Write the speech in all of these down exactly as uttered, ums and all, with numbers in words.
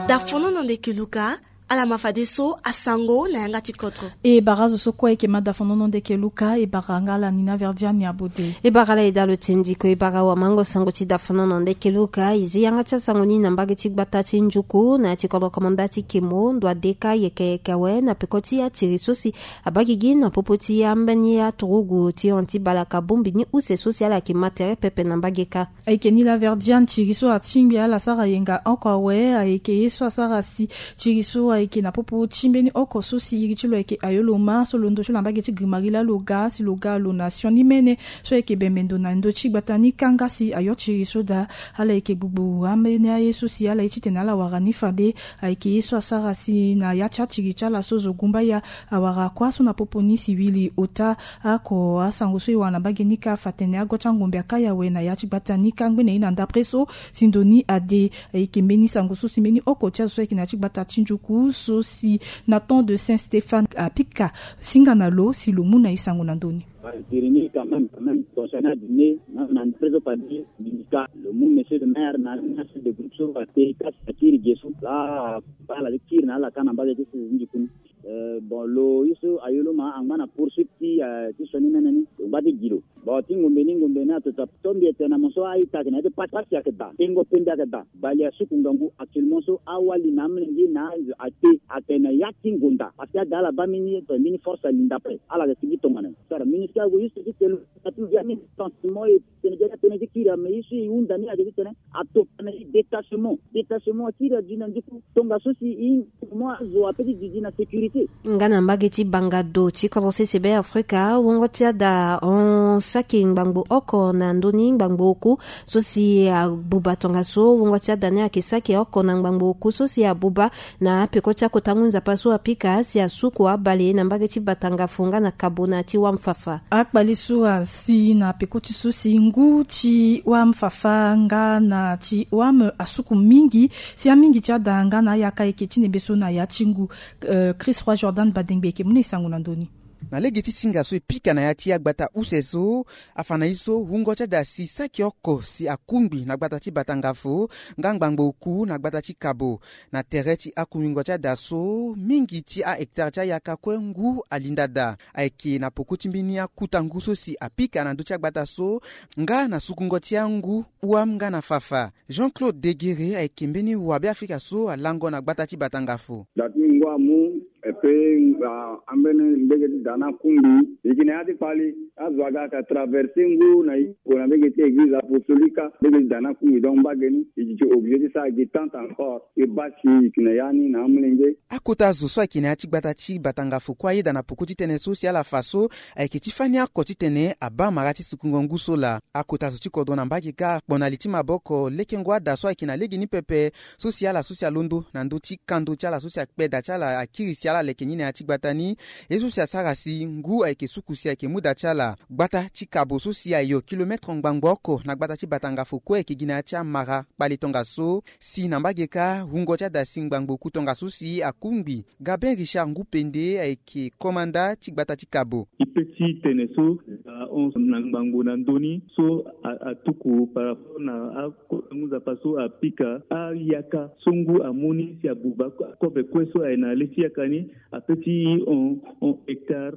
Dafonono ndeke Luka, ala ma fadeso asango na yanga ti kodro. E bara azo so kue ayeke ma dafonono ndeke Luka, e bara nga ala Nina Verdiane Abode. E bara ala eda lo ti ndiko, e bara awamango sango ti dafonono ndeke Luka. E zi yanga ti asango ni na mbage ti gbata ti Njuku na ya ti kodro komanda ti Kemo, ndo adeka yeke yeke awe na peko ti atiri so si abaa gigi na popo ti ambeni aturugu ti hon ti balaka bombi ni use so si ala yeke ma tere pepe na mbage kâ. Ayeke Nina Verdiane, tiri so atingbi ala sara yenga oko awe, ayeke ye so asara si tiri so ayeke na popo ti mbeni oko so si iri ti lo ayeke Ayoloma so londo ti lo na mbage ti Grimari laa lo ga si lo ga lo na sioni mene so ayeke bembe ndo na ndö ti gbata ni kanga si ayo tiri so daa. Ala yeke gbugbu ambeni aye so si ala ye titene ala wara ni fade. Ayeke ye so asara si na ya ti atiri ti ala so zo gumbaya awara kuâ so na popo ni si wili ota. Ako asango so e wara na mbage ni kâ afa tene ago ti angombe aka awe na ya ti gbata ni kâ ngbene ye na ndapre so si ndo ni ade. Ayeke mbeni sango so si mbeni oko ti azo so ayeke na ya ti gbata ti Njuku so si na temps de Saint Stéphane apika singa na lo si lo mu na e sango na ndö ni. Tiri ni quand même, quand même, concernant dîner, même na ndapre so fade, ministre, lo mu monsieur le maire na chef de groupe so ate kasi akiri ge so laa, ala ti kiri na ala kâ na mbage ti si Njuku ni. Euh, bon, lo ye so Ayoloma angba na poursuite ti, euh, ti sioni mene ni, lo ngba ti gi lo. Bon, ti ngombe ni, ngombe ni atoto atombi ete na mo so a-ita ayeke na ya ti pasi, pasi ayeke daa, tengo pende ayeke daa. Bale asuku ngangu actuellement so awali na amolenge na azo ate ayeke na ya ti ngonda. Parce que ada ala baa mbeni, mbeni force alinda ape, ala yeke sigi tongana ni. Sara ministre ague ye so ti tene lo ati via ni sentiment e tene dia tene ti kiri ame ye so e hunda ni ayeke ti tene atokua na e détachement. Détachement akiri adi na Njuku. Tongaso si e mo azo ape ti didi na sécurité. Nga na mbage ti bangado ti kodro sese Be Afrika, wungo ti ada hon saki ngbangbo oko na ndö ni ngbangbo oku so si abuba. Tongaso wungo ti ada ni ayeke saki oko na ngbangbo oku so si abuba na apeko ti akota ngu nzapa so apika si asuku abale na mbage ti Batangafo nga na Kabo na ti Wam Fafa. Akpale so asi na peko ti so si ngu ti Wam Fafa nga na ti Wam asuku mingi, si amingi ti ada nga na ayaka ayeke ti nembe so na ya ti ngu. Euh, Chris Roy Jordan Badengbe ayeke mu na e sango na ndö ni. Na lege ti singa so e pika na ya ti agbata use so, afa na e so wungo ti ada si saki oko si akungbi na gbata ti Batangafo nga ngbangbo oku na gbata ti Kabo. Na tere ti akungbi ngu ti ada so, mingi ti ahectare ti ayaka kue ngu alinda daa. Ayeke na poko ti mbeni akuta ngu so si apika na ndö ti agbata so nga na sukungo ti angu Wam nga na Fafa. Jean-Claude Degere ayeke mbeni wabe Afrika so alango na gbata ti Batangafo. Da ti ngu amu, et puis, ah, ambeni mbege ti da ni akungbi. E yeke na ya ti kpali, azo aga ayeke traverser ngu na e gue na mbege ti église apostolique, mbege ti da ni akungbi. Donc mbage ni e yeke obligé ti sara gi tente encore, e baa si e yeke na ya ni na amolenge. Akota zo so ayeke na ya ti gbata ti Batangafo kue ayeda na poko ti tënë so si ala fa so ayeke ti fani oko titene abaa mara ti sukungo ngu so laa. Akota zo ti kodro na mbage kâ akpo na li ti maboko lekengo ada so ayeke na lege ni pepe, so si ala so si alondo na ndö ti kando ti ala so si akpe da ti ala akiri si ala leke ni na ya ti gbata ni. Ye so si asara si ngu ayeke suku si ayeke mu da ti ala. Gbata ti Kabo so si ayo kilomètre ngbangbo oko na gbata ti Batangafo kue ayeke gi na ya ti amara kpale tongaso. Si na mbage kâ wungo ti ada si ngbangbo oku tongaso si akungbi. Gabin Richard Ngupende ayeke komanda ti gbata ti Kabo. E pe ti tene so, ahon na ngbangbo na ndö ni so a, atuku par rapport na akota ngu nzapa so apika ayaka so ngu amu ni si abuba kobe kue so aye na le ti yaka ni, ape ti hon, hon hectare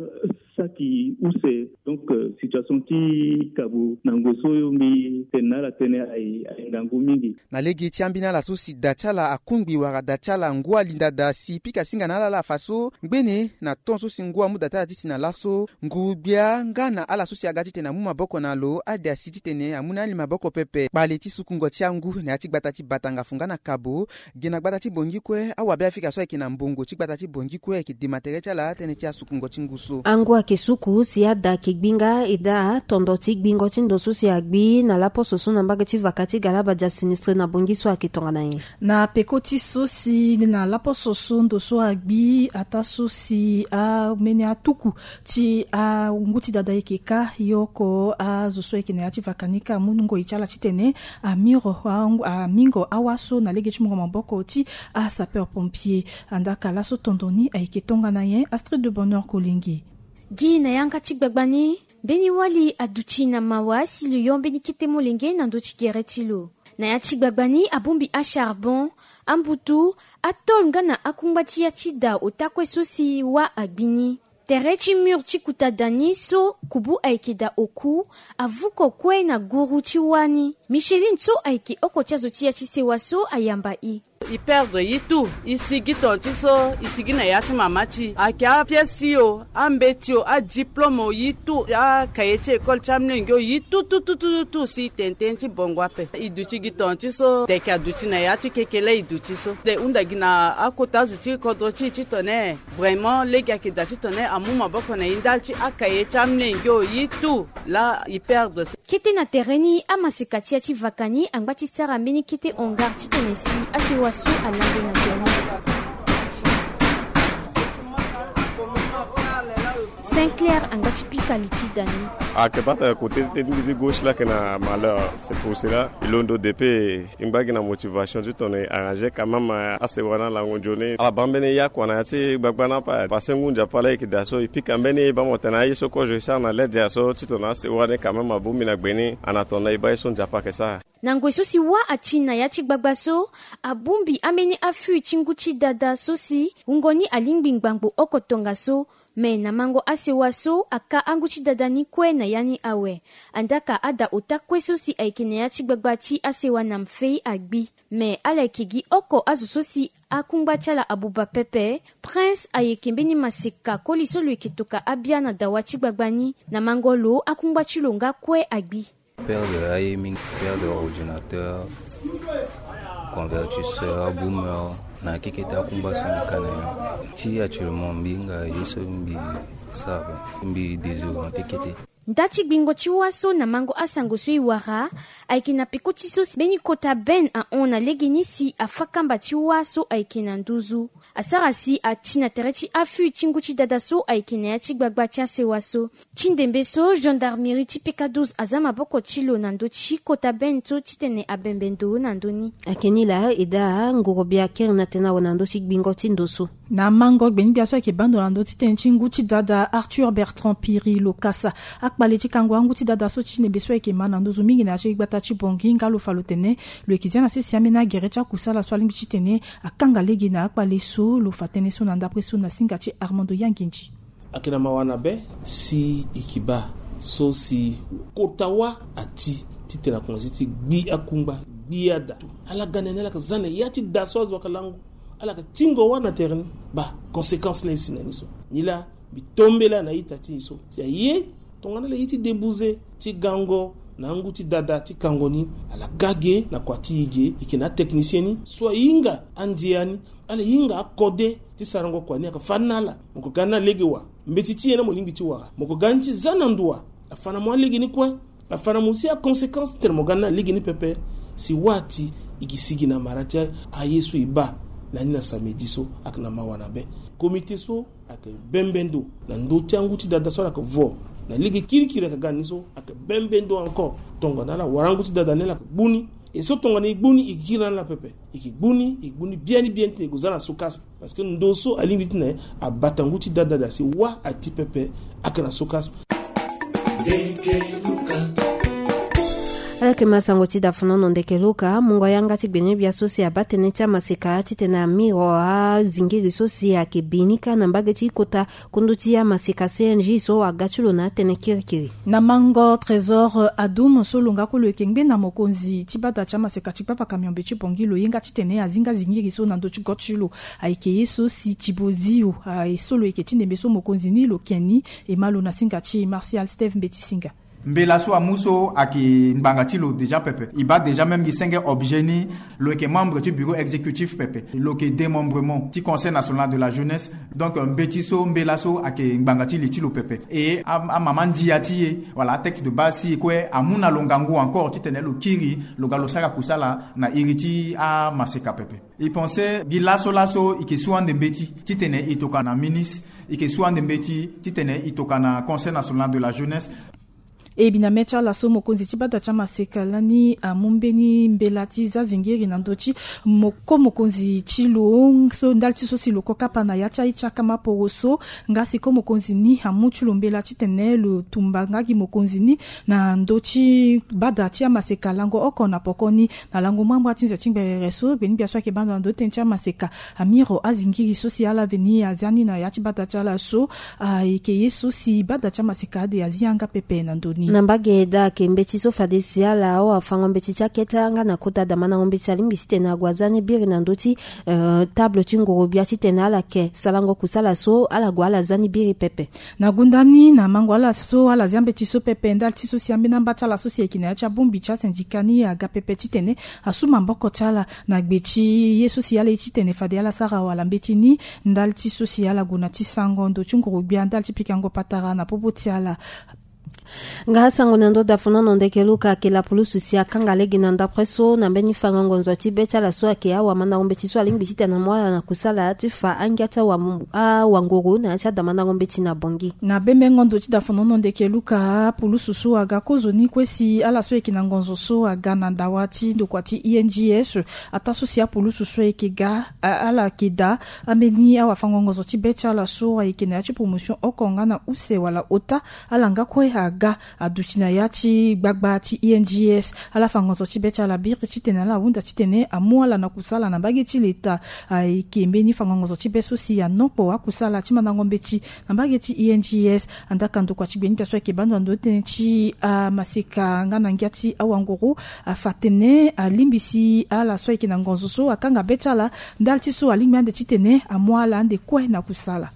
saki use. Donc, euh, situation ti Kabo na ngoi so mbi tene na ala tënë aye, aye ngangu mingi. Na lege ti ambeni ala so si da ti ala akungbi wala da ti ala ngu alinda daa si pika singa na ala laa afa so ngbene na temps so si ngu amu da ti ala ti si na laso nguru-gbia nga na ala so si aga titene amu maboko na lo ade asi titene amu na ali maboko pepe. Kpale ti sukungo ti angu na ya ti gbata ti Batangafo nga na Kabo. Gi na gbata ti Bangui kue awabe Afrika so ayeke na mbongo ti gbata ti Bangui kue ayeke dema tere ti ala tënë ti asukungo ti ngu so. Angu ayeke suku si ada ayeke gbi nga e daa tondo ti gbingo ti ndo so si agbi na laposo so na mbage ti vaka ti Galabadja Sinistre na Bangui so ayeke tongana nyen? Na peko ti so si na laposo so ndo so agbi ataa so si ambeni atuku ti angu ti dada ayeke kâ, ye oko azo so ayeke na ya ti vaka ni kâ amu ngoi ti ala titene amiro, a, amingo awa so na lege ti mungo maboko ti asapeur pompier. Andaa ka laso tondo ni ayeke tongana nyen? Astrid de Bonheur Kolenge. Gi na yanga ti gbagba ni, Mbeni wali aduti na mawa si lo yo mbeni kete molenge na ndö ti gere ti lo. Na ya ti gbagba ni abongbi acharbon, ambutu, atôle nga na akungba ti ya ti da ota kue so si wâ agbi ni. Tere ti mur ti kuta da ni so kubu ayeke da oku, avuko kue na guru ti wâ ni. Micheline so ayeke oko ti azo ti ya ti sewa so ayamba e. E perdre ye tout, e sigi ton ti so, e sigi na ya ti mama ti e. Ayeke apièce ti e o, ambeti o, adiplôme o, ye tout, akaye ti école ti amolenge o, ye tout tout tout tout tout si e tene tënë ti bongo ape. E duti gi ton ti so, teke aduti na ya ti kekele e duti so. E hunda gi na akota azo ti kodro ti e titene vraiment lege ayeke da titene amu maboko na e ndali ti akaye ti amolenge o, ye tout, laa e perdre so. Kete na tere ni, amaseka ti ya ti vaka ni angba ti sara mbeni kete hangar titene si asewa so alande na tere ni. Saint Clair angba ti pika li ti da ni. Ayeke baa tene kote ti gauche laa ayeke na malheur. C'est pour cela e londo depuis. E ngba gi na motivation titene e arranger quand même asewa ni alango nzoni. Ala baa mbeni ya kua na ya ti gbagba ni ape. Parce que ngu Nzapa laa e yeke daa so e pika mbeni e baa mo tene aye so kozo e sara na lege ya so titene asewa ni quand même abongbi na gbe ni. Ana tongana e baa ye so Nzapa ayeke sara. Na ngoi so si wâ ati na ya ti gbagba so, abongbi ambeni afût ti ngu ti dada so si wungo ni alingbi ngbangbo oko tongaso. Me na mango asewa so aka angu ti dada ni kue na ya ni awe. Andaka ada ota kue so si ayeke na ya ti gbagba ti asewa na mfei agbi. Me ala yeke gi oko azo so si akungba ti ala abuba pepe. Prince ayeke mbeni maseka koli so lo yeke toka abia na dawa ti gbagba ni. Na mango lo akungba ti lo nga kue agbi. Perdre aye mingi, perdre ordinateur, convertisseur, boumeur, na kekete akungba so mbi ka na ya. Ti actuellement mbi hinga ye so mbi sara, mbi désorienté kete. Nda ti gbingo ti wâ so na mango asango so e wara, ayeke na peko ti so si mbeni kota bene ahon na legeni si afâ kamba ti wâ so ayeke na nduzu. Asara si ati na tere ti afût ti ngu ti dada so ayeke na ya ti gbagba ti asewa so. Ti ndembe so, gendarmerie ti P K douze aza maboko ti lo na ndö ti kota bene so titene abembe ndo na ndö ni. Ayeke ni laa e daa ngorogbia kiri na tene awe na ndö ti gbingo ti ndo so. Na mango gbeni-gbia so ayeke baa ndo na ndö ti tënë ti ngu ti dada Arthur Bertrand Piri Lokasa. Akpale ti kango angu ti dada so ti ndembe so ayeke ma na nduzu mingi na ya ti gbata ti Bangui nga lo fa lo tene lo yeke zia na sese ambeni agere ti akusala so alingbi titene akanga lege na akpale so. Lo fa tënë so na ndapre so na singa ti Armando Yangindi. Ayeke na mawa na be si e yeke baa so si kota wâ ati titene akonzi ti gbi akungba, gbi ada. Ala ga na ni, ala yeke za na ya ti da so azo ayeke lango. Ala yeke tingo wâ na tere ni. Baa conséquence laa e si na ni so. Nilaa mbi tombela na ita ti e so si aye tongana ala ye ti débouser ti gango na angu ti dada ti kango ni, ala ga ge na kua ti e ge. E yeke na atechnicien ni so ahinga andia ni, ala hinga akode ti sarango kua ni. Ayeke fâ ni na ala, mo yeke ga ni na lege wa. Mbeti ti e na mo lingbi ti wara, mo yeke ga ni ti za na ndo wa. Afa na mo alege ni kue. Afa na mo si aconséquence titene mo ga ni na lege ni pepe. Si wâ ati e yeke sigi na mara ti aye so e baa na ni na samedi so. Ayeke na mawa na be. Comité so ayeke bembe ndo na ndö ti angu ti dada so ala yeke vo na lege kirikiri ayeke ga na ni so. Ayeke bembe ndo encore tongana ala wara angu ti dada ni ala yeke gbu ni. E so tongana e gbu ni e yeke kiri na ala pepe. E yeke gbu ni, e yeke gbu ni biani biani titene e gue za na SOCASP. Parce que ndo so alingbi titene abata ngu ti dada da si wâ ati pepe. Ayeke na SOCASP. Ala yeke ma sango ti dafanono ndeke luka mungo yanga ti gbene-gbia so si abaa tënë ti amaseka titene amiro azingiri so si ayeke bi ni kâ na mbage ti kota kundu ti amaseka C N J so aga ti lo na atënë kirikiri. Na mango Trésor Adoum so lo nga kue lo yeke ngbene mokonzi ti bada ti amaseka ti gbavaka miombe ti Bangui, lo ye nga titene azinga zingiri so na ndö ti go ti lo. Ayeke ye so si Thibozio aye so lo yeke ti ndembe so mokonzi ni lo ke ni. E ma lo na singa ti Martial Steve Mbeti Singa. Mbela so amu so ayeke ngbanga ti lo déjà pepe. E baa déjà même gi senge objet ni. Lo yeke membre ti bureau exécutif pepe. Lo yeke démembrement ti Conseil national de la jeunesse. Donc mbeti so, mbela so ayeke ngbanga ti li ti lo pepe. E a, amama ndia ti e, wala atexte de base ti e kue amu na lo ngangu encore titene lo kiri lo ga lo sara kusala na iri ti amaseka pepe. E pense gi laso laso e yeke su ande mbeti titene e tokana ministre, e yeke su ande mbeti titene e tokana Conseil national de la jeunesse. E bi na mê ti ala so mokonzi ti bada ti amaseka lani amu mbeni mbela ti za zingiri na ndö ti moko mokonzi ti lo so ndali ti so si lo ko kapa na ya ti aye ti akama poro so. Nga si ko mokonzi ni amu ti lo mbela titene lo tumba nga gi mokonzi ni na ndö ti bada ti amaseka lango oko na poko ni. Na lango mambra ti nze ti ngberere so gbeni gbia so ayeke bando na ndö ti tënë ti amaseka amiro azingiri so si ala veni azia ni na ya ti bada ti ala so. Ayeke ye so si bada ti amaseka ade azi yanga pepe na ndö ni. Na mbage daa ayeke mbeti so fade si ala awafango mbeti ti akete nga na kota damandango mbeti alingbi titene ague aza ni biri na ndö ti eh, table ti nguru-gbia titene ala yeke salango kusala so ala gue ala za ni biri pepe. Na gunda ni na mango ala so ala zia mbeti so pepe ndali ti so si ambeni amba ti ala so si ayeke na ya ti abongbi ti asindika ni aga pepe titene asu maboko ti ala na gbe ti ye so si ala ye titene fade ala sara wala mbeti ni. Ndali ti so si ala gue na ti sango ndo ti nguru-gbia ndali ti pikango patara na popo ti ala. Nga asango na ndö dafonono ndeke luka ayeke lapulusu si akanga lege na ndapre so na mbeni fango ngonzo ti be ti ala so ayeke awamandango mbeti so alingbi titene amu ala na kusala ti fa angia ti awa- awanguru na ya ti adamandango mbeti na bongi. Na bembengo ndo ti dafonono ndeke luka pulusu so aga kozoni kue si ala so ayeke na ngonzo so aga na dawa ti ndokua ti ings. Ataa so si apulusu so ayeke ga a- ala yeke daa ambeni awafango ngonzo ti be ti ala so ayeke na ya ti promotion oko nga na use wala ota. Ala nga kue aga aduti na ya ti gbagba ti ings. Ala fango ngonzo ti be ti ala biri titene ala hunda titene amu ala na kusala na mbage ti leta. Ayeke mbeni fango ngonzo ti be so si anokpo akusala ti mandango mbeti na mbage ti ings. Andaka ndokua ti gbeni gbia so ayeke bando na ndö ti tënë ti amaseka nga na ngia ti awanguru afa tene alingbi si ala so ayeke na ngonzo so akanga be ti ala ndali ti so alingbi ande titene amu ala ande kue na kusala.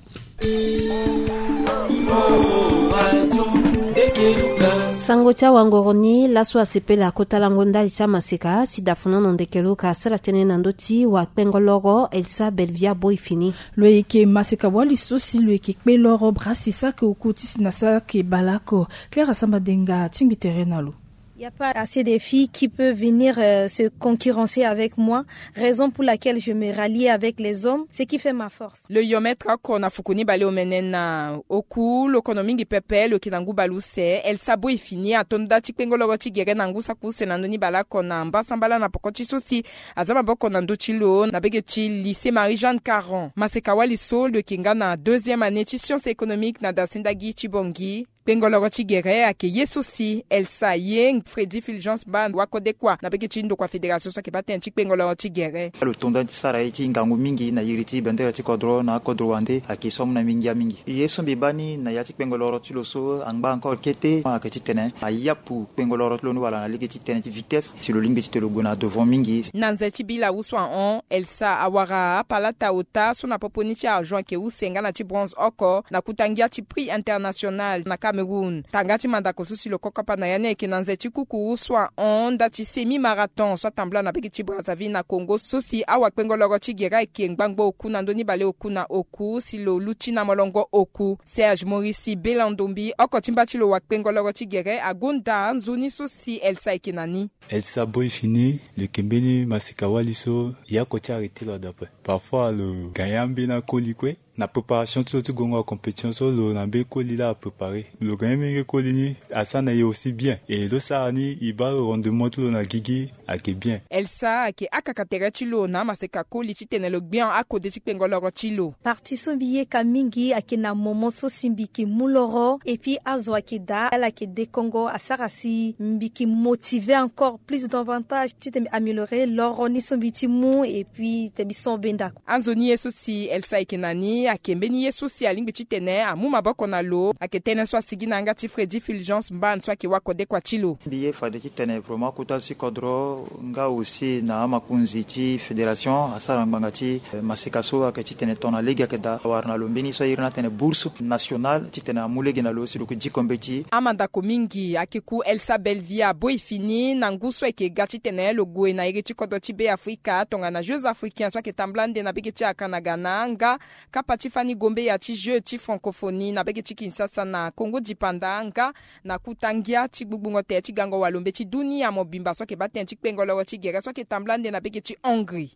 Sango ti awangoro ni laso asepela akota lango ndali ti amaseka si dafonono ndeke luka asara tënë na ndö ti wakpengo loro Elsa Belvia Boy Fini. Lo yeke maseka wali so si lo yeke kpe loro brasi saki oku ti si na saki baleoko. Claire Asamba Denga tingbi tere na lo. Il n'y a pas assez de filles qui peuvent venir euh, se concurrencer avec moi, raison pour laquelle je me rallie avec les hommes, ce qui fait ma force. Lo yo metre oko na fuku ni baleomene na oku lo kono mingi pepe lo yeke na ngu baleuse Elsa Boy Fini ato nda ti kpengo loro ti gere na ngu saki use na ndö ni baleoko na mbasambala na poko ti so si aza maboko na ndö ti lo na bege ti lycée Marie Jeanne Caron. Maseka wali so lo yeke nga na deuxième année ti science économique na dasinda gi ti bongi. Kpengo loro ti gere ayeke ye so si Elsa ye Freddy Fulgence Ban wakodekua na bege ti ndokua fédération so ayeke baa tënë ti kpengo loro ti gere. Lo tonda ti sara ye ti ngangu mingi na iri ti bendere ti kodro na akodro wande ayeke so amu na mingi mingi. Ye so mbi baa ni na ya ti kpengo loro ti lo so angba encore kete ayeke titene ayapu kpengo loro ti lo ni wala na lege ti tënë ti vitesse si lo lingbi titene lo gue na devant mingi. Na nze ti bila use ahon Elsa awara apalata ota so na popo ni ti argent ayeke use nga na ti bronze oko na kuta ngia ti prix international na Cameroun. Tanga ti mandako so si lo kokapa na ya ni ayeke na nze ti kuku use ahon nda ti semi marathon so atambula na bege ti Brazzaville na Congo so si awakpengo loro ti gere ayeke ngbangbo oku na ndö ni baleoku na oku si lo luti na molongo oku. Serge Maurice Belandombi oko ti mba ti lo wakpengo loro ti gere agonda nzoni so si Elsa ayeke na ni. Elsa Boy Fini lo yeke mbeni maseka wali so ya oko ti arrêté lo adapre. Parfois lo gagne ambeni akoli kue. Na préparation ti lo ti gongo na compétition so lo na mbeni koli laa apréparé. Lo gagne mingi koli ni asara na e aussi bien. E lo sara ni e baa lo rendement ti lo na gigi ayeke bien. Elsa ayeke akaka tere ti lo na amaseka koli titene lo gbia akode ti kpengo loro ti lo. Parti so mbi yeka mingi ayeke na moment so si mbi yeke mu loro et puis azo ayeke daa ala yeke dekongo asara si mbi yeke motivé encore plus d'avantage titene mbi améliorer loro ni so mbi ti mu et puis titene mbi so benda. Anzoni ye so si Elsa ayeke na ni ayeke mbeni ye so si alingbi titene amu maboko na lo ayeke tënë so asigi na yanga ti Freddy Fulgence Mban so ayeke wakodekua ti lo. Mbi ye fade titene vraiment kota ti kodro nga aussi na amakonzi ti fédération asara ngbanga ti eh, maseka so ayeke titene tongana lege ayeke daa awara na lo mbeni so airi ni atene bourse nationale titene amu lege na lo si lo yeke diko mbeti. Amandako mingi ayeke ku Elsa Belvia Boy Fini na ngu so ayeke ga titene lo gue na iri ti kodro ti Be Afrika tongana Jeux Africains so ayeke tambula ande na bege ti Accra na Ghana nga kapa ti fani gombeya ti Jeux ti francophonie na bege ti Kinshasa na Congo dipanda nga na kuta ngia ti gbugbungo tere ti gango walo mbeti dunia mobimba so ayeke baa tënë ti kpengo loro ti gere so ayeke tambula ande na bege ti Hongrie.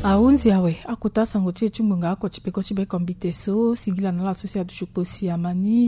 Ahunzi awe akota sango ti e ti ngbonga oko ti peko ti be kombite so singila na ala so si aduti kpo si ama ni.